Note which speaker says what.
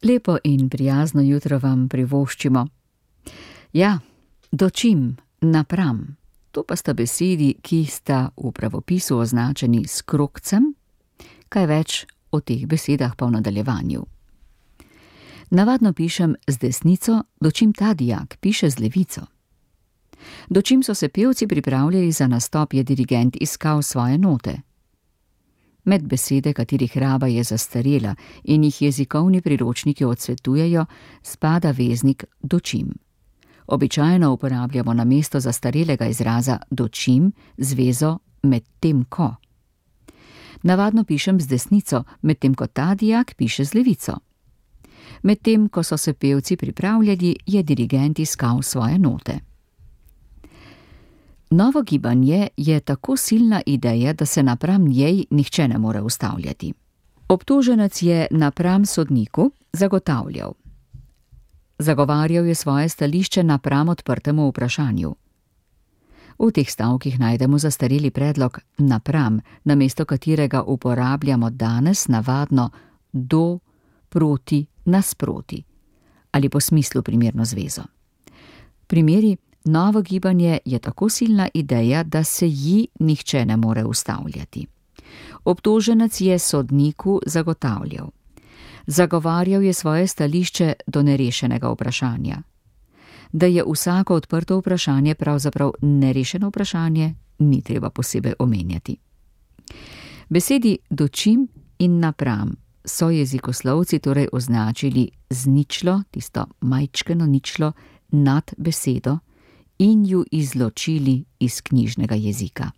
Speaker 1: Lepo in prijazno jutro vam privoščimo. Ja, dočim, napram. To pa sta besedi, ki sta v pravopisu označeni s krogcem, kaj več o teh besedah pa v nadaljevanju. Navadno pišem z desnico, dočim ta dijak piše z levico. Dočim so se pevci pripravljali za nastop, je dirigent iskal svoje note. Med besede, katerih raba je zastarela in jih jezikovni priročniki odsvetujejo, spada veznik dočim. Običajno uporabljamo namesto zastarelega izraza dočim zvezo medtem ko. Navadno pišem z desnico, medtem ko ta dijak piše z levico. Medtem ko so se pevci pripravljali, je dirigent iskal svoje note. Novo gibanje je tako silna ideja, da se napram njej nihče ne more ustavljati. Obtoženec je napram sodniku zagotavljal. Zagovarjal je svoje stališče napram odprtemu vprašanju. V teh stavkih najdemo zastareli predlog napram, namesto katerega uporabljamo danes navadno do, proti, nasproti ali po smislu primerno zvezo. Primeri: novo gibanje je tako silna ideja, da se ji nihče ne more ustavljati. Obtoženec je sodniku zagotavljal. Zagovarjal je svoje stališče do nerešenega vprašanja. Da je vsako odprto vprašanje pravzaprav nerešeno vprašanje, ni treba posebej omenjati. Besedi dočim in napram so jezikoslovci torej označili z ničlo, tisto majčkeno ničlo nad besedo, in ju izločili iz knjižnega jezika.